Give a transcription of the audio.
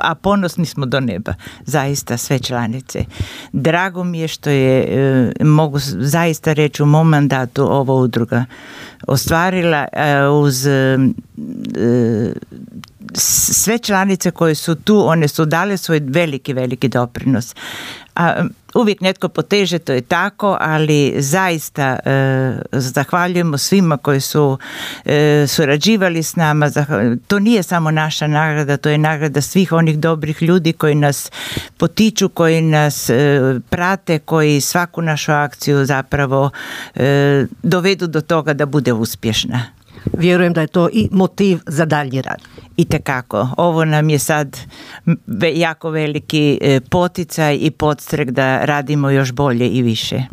a ponosni smo do neba, zaista sve članice. Drago mi je što je, mogu zaista reći, u mom mandatu ova udruga ostvarila uz sve članice koje su tu, one su dale svoj veliki doprinos. A uvijek netko poteže, to je tako, ali zaista zahvaljujemo svima koji su surađivali s nama. To nije samo naša nagrada, to je nagrada svih onih dobrih ljudi koji nas potiču, koji nas prate, koji svaku našu akciju zapravo dovedu do toga da bude uspješna. Vjerujem da je to i motiv za daljnji rad. Itekako. Ovo nam je sad jako veliki poticaj i podstrek da radimo još bolje i više.